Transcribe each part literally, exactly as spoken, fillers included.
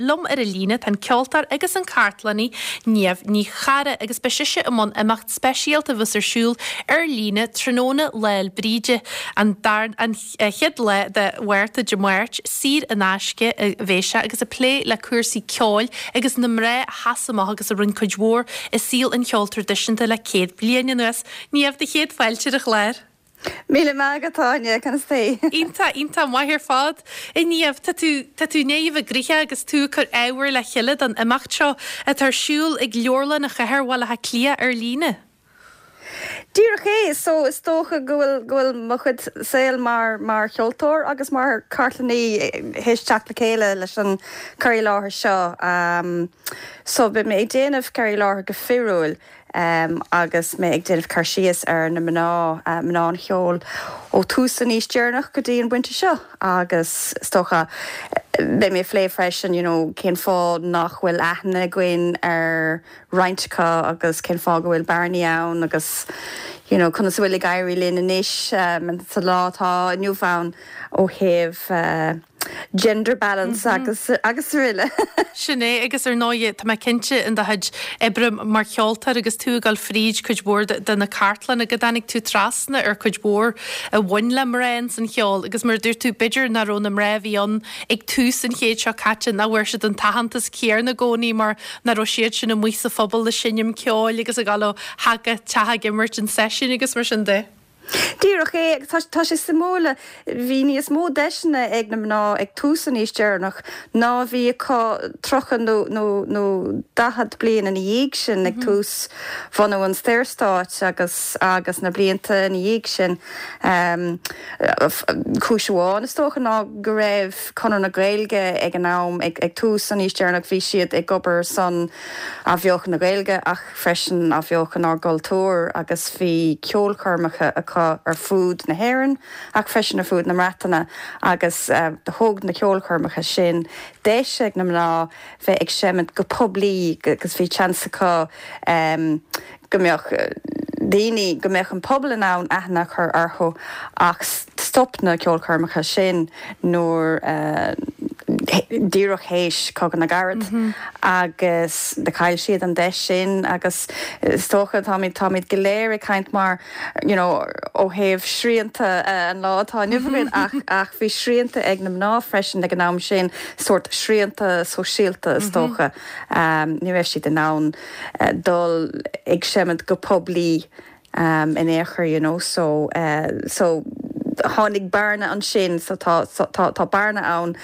Liom ar an líne tá an ceoltóir agus an cartlannaí Niamh Ní Charra agus beidh sise i mbun imeacht speisialta a bheas ar siúl ar líne tráthnóna Lá 'le Bríde an dar an chéad lá de Mhárta Dé Máirt saor in aisce a bheidh sé agus ag plé le cúrsaí ceoil agus na mná a sheas amach agus a rinne cuid mhór i saol an cheoil traidisiúnta le céad bliain anuas. Niamh do chéad fáilte ar an chlár. Míle maith agat Áine conas tá tú. Iontach iontach maith ar fad. A Niamh tá tú tá tú i ndiaidh a bheith gnoitheach agus tú ag cur ábhar le chéile don imeacht seo atá ar siúl ag Leabharlann an Chathair Bhaile Átha Cliath ar líne. Díreach é so is dócha go bhfuil go bhfuil mo chuid saoil mar mar cheoltóir agus mar cartlannaí théis teacht le chéile leis an cur i láthair seo. Um, so beidh mé ag déanamh cur i láthair go fíorúil um, agus mé ag déanamh cur síos ar na mná uh, mná an cheoil ó tús an aois deireanach go dtí an pointe seo agus is dócha beidh mé ag plé freisin you know, cén fáth nach bhfuil aithne againn ar roinnt acu agus cén fáth go bhfuil bearnaí ann agus you know, conas bhfuil ag éirí linn anois um, sa lá atá inniu ann ó thaobh uh, gender balance mm -hmm. agus agus araile. Sin é agus ar ndóigh tá mé cinnte in do chuid oibre mar cheoltóir agus tú ag dul fríd cuid mhór de na cartlanna go dtáinig tú trasna ar cuid mhór a bhain le mná san cheol agus mar dúirt tú b'fhéidir nach raibh na mná a bhí ann ag tús an chéid seo caite nach bhfuair siad an t-aitheantas céanna i gcónaí mar nach raibh siad sin amuigh sa phobal ag seinm ceoil agus ag dul ó theach go teach ag imirt an seisiún agus mar sin de. Díreach é tá sé suimiúil bhí níos mó deiseanna ag na mná ag tús an aois deireanach ná bhí acu tríocha nó nó nó daichead bliain ina dhiaidh sin ag tús bhunú an Saorstáit agus agus na blianta ina dhiaidh sin. Um, Cúis amháin is dócha ná go raibh Conradh na Gaeilge ag an am ag, ag tús an aois deireanach bhí siad ag obair son athbheochan na Gaeilge ach freisin athbheochan ár gcultúr agus bhí ceolchoirmeacha acu ar fud na hÉireann ach freisin ar fud na Breataine agus uh, thug na ceolchoirmeacha sin deis ag na mná bheith ag seimint go poiblí agus bhí seans acu um, go mbeadh daoine go mbeadh an pobal in ann aithne a chur orthu ach stop na ceolchoirmeacha sin nuair uh, díreach théis Cogadh na gCarad mm -hmm. agus de chaill siad an deis sin agus is dócha táimid táimid go léir ag caint mar you know, ó thaobh srianta uh, an lá atá inniu ach ach bhí srianta ag na mná freisin ag an am sin sórt srianta sóisialta is dócha um, ní raibh siad in ann uh, dul ag seimint go poiblí um, in aon chor you know, so, uh, so tháinig bearna ansin so tá tá tá bearna ann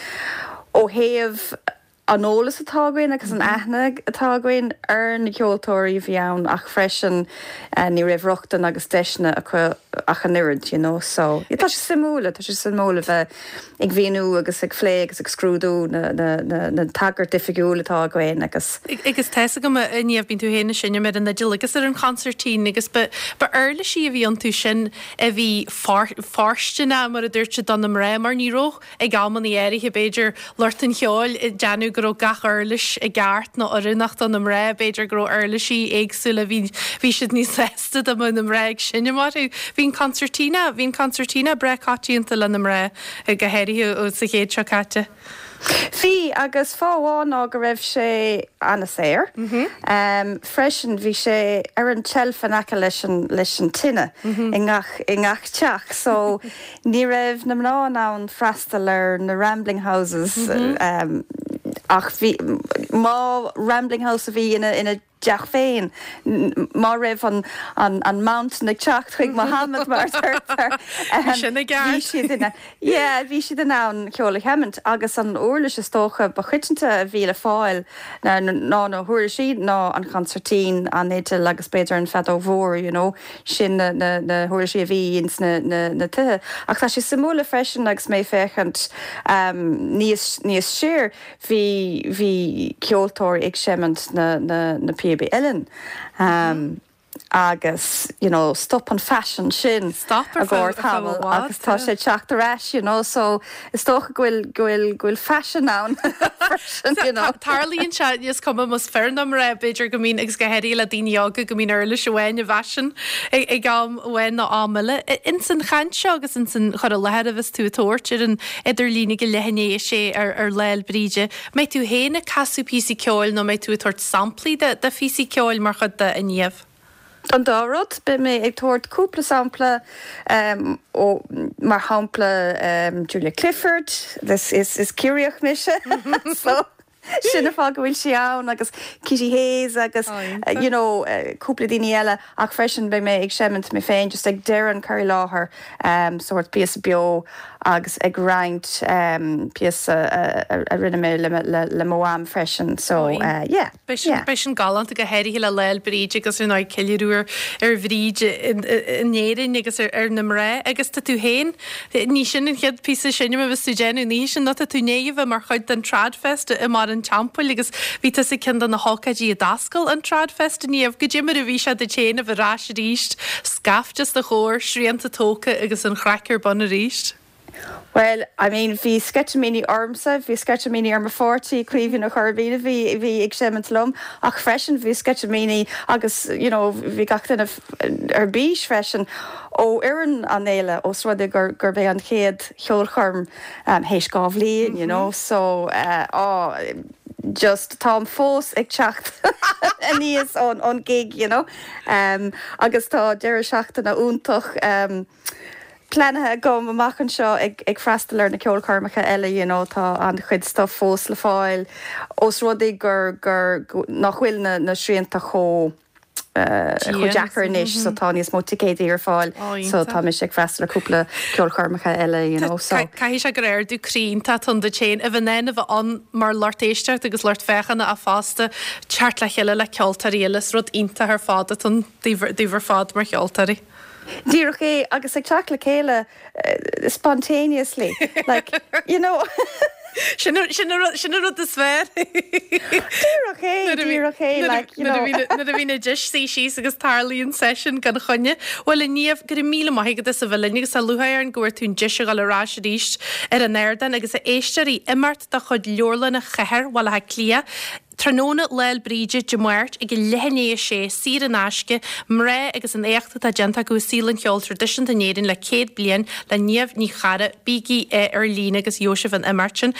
ó thaobh an eolas atá againn agus an aithne atá againn ar na ceoltóirí bhí ann ach freisin uh, ní raibh rochtain agus deiseanna acu ach an oiread you know so yeah, tá sé suimiúil tá sé suimiúil bheith ag míniú agus ag plé agus ag scrúdú na, na, na, na tagairt oifigiúil atá againn agus agus tá a fhios agam a Niamh bíonn tú féin ag seinm ar an fhidil agus ar an consairtín agus ba uirlisí a bhí iontu sin a bhí fóirsteanach mar a dúirt do na mná mar ní raibh ag amanna áirithe b'fhéidir lucht an cheoil déanamh go raibh gach uirlis i gceart nó oiriúnach do na mná b'fhéidir go raibh uirlisí éagsúla bhí bhí siad níos sásta dá mbeadh na mná ag seinm orthu. Bhí an concertina, bhí an concertina breá coitianta le na mná go háirithe sa chéad seo caite. Bhí agus fáth amháin ná go raibh sé an-saor. Mm -hmm. um, freisin bhí sé ar an tseilf in aice leis an leis an tine mm -hmm. i ngach i ngach teach, so ní raibh na mná in ann freastal ar na rambling houses mm -hmm. um, ach bhí má rambling house a bhí ina ina dteach féin má raibh an an an mountain ag teacht chuig Mohammed mar sin bhí siad ina bhí siad in ann ceol a sheimint agus an uirlis is dócha ba choitianta a bhí le fáil ná na huirlisí ná an consairtín an fhidil agus b'fhéidir an feadóg mhór you know, sin na, na, na huirlisí a bhí ins na, na, na tithe. Ach tá sé suimiúil freisin agus mé féachaint um, níos níos siar bhí bhí ceoltóirí ag seimint na, na, na píobaí uilleann. Um, agus you know stop an fashion sin Stop ar a feadh- gcóir tamall ar feadh i bhfad, agus tá yeah. sé teacht ar ais you know so is dócha go bhfuil go bhfuil go bhfuil fashion ann freisin, you know. Tarlaíonn sé is cuma más fear nó mná b'fhéidir go mbíonn agus go háirithe le daoine óga go mbíonn uirlis amháin i bhfaisean ag ag am amháin nó am eile. Ins an chaint seo agus ins an chur i láthair a bheas tú ag tabhairt ar an idirlíon ag leath i ndiaidh a sé ar ar Lá 'le Bríde. Mbeidh tú féin ag casadh píosaí ceoil nó mbeidh tú ag tabhairt samplaí de de phíosaí ceoil mar chuid de a Niamh. An dá rud beidh mé ag tabhairt cúpla sampla um, ó mar shampla um, Julia Clifford this is is Ciarraíoch mise so sin an fáth go bhfuil sí ann agus Kitty Hayes agus Oh, uh, you know uh, cúpla daoine eile ach freisin beidh mé ag seimint mé féin just ag deireadh an cur i láthair um, sort píosa beo agus ag roinnt um, píosa uh, a rinne mé le, le, le mo mham freisin so Oh, uh, yeah Beidh sin yeah. beidh sin galánta go háirithe le Lá 'le Bríde agus ar ná ceiliúradh ar Bhríd in Éirinn agus ar ar na mná agus tá tú féin ní sin an chéad píosa sin a bheas tú déanamh ní sin ná tá tú néomh mar chuid den Tradfest i mBarr an Teampaill agus bhí tú sa ceann de na hócáidí a d'oscail an Tradfest Niamh goidé mar a bhí sé duit féin a bheith ar ais arís scaifte os do chomhair srianta tógtha agus an chraic ar bun arís. Well, I mean bhí sceitimíní ormsa, bhí sceitimíní ar mo pháirtí Caoimhín Ó Curraighín bhí bhí ag seimint liom ach freisin bhí sceitimíní agus you know, bhí gach duine ar bís freisin ó fhoireann an fhéile os rud é gur gur b'é an chéad cheolchoirm um, théis dhá bhliain, you know, so uh, oh, just táim fós ag teacht aníos ón ón gig, you know. Um, agus tá deireadh seachtaine iontach um, pleanáilte agam amach anseo ag, ag freastal ar na ceolchoirmeacha eile you know, tá an-chuid stuff fós le fáil os rud é gur gur go- nach bhfuil na, na srianta chomh uh, chomh deacair anois so tá níos mó ticéidí ar fáil Ó, so iontach. tá mise ag freastal ar cúpla ceolchoirmeacha eile you know, so. Caithfidh sé gur ardú croí iontach atá ann duit féin a bheith in ann a bheith ann mar lucht éisteachta agus lucht féachana a fosta teacht le chéile le ceoltóirí eile is rud iontach ar fad atá ann daoibh ar fad mar cheoltóirí. Díreach é agus ag teacht le chéile uh, spontaneously like you know Sin sin sin rud is fearr. Díreach é díreach é like you know Nuair a bhíonn na deis sí síos agus tarlaíonn session gan choinne. Well a Niamh go raibh míle maith agat as a bheith linn agus tá lúcháir orainn go bhfuair tú an deis a dhul ar ais arís ar an ardán agus a éisteoirí imeacht de chuid Leabharlann Chathair Bhaile Átha Cliath. Tráthnóna Lá 'le Bríde Dé Máirt ag leath i ndiaidh a sé saor in aisce mná agus an éacht atá déanta acu i saol an cheoil traidisiúnta in Éirinn le céad bliain le Niamh Ní Charra bígí ar líne agus Jósef an imeacht sin.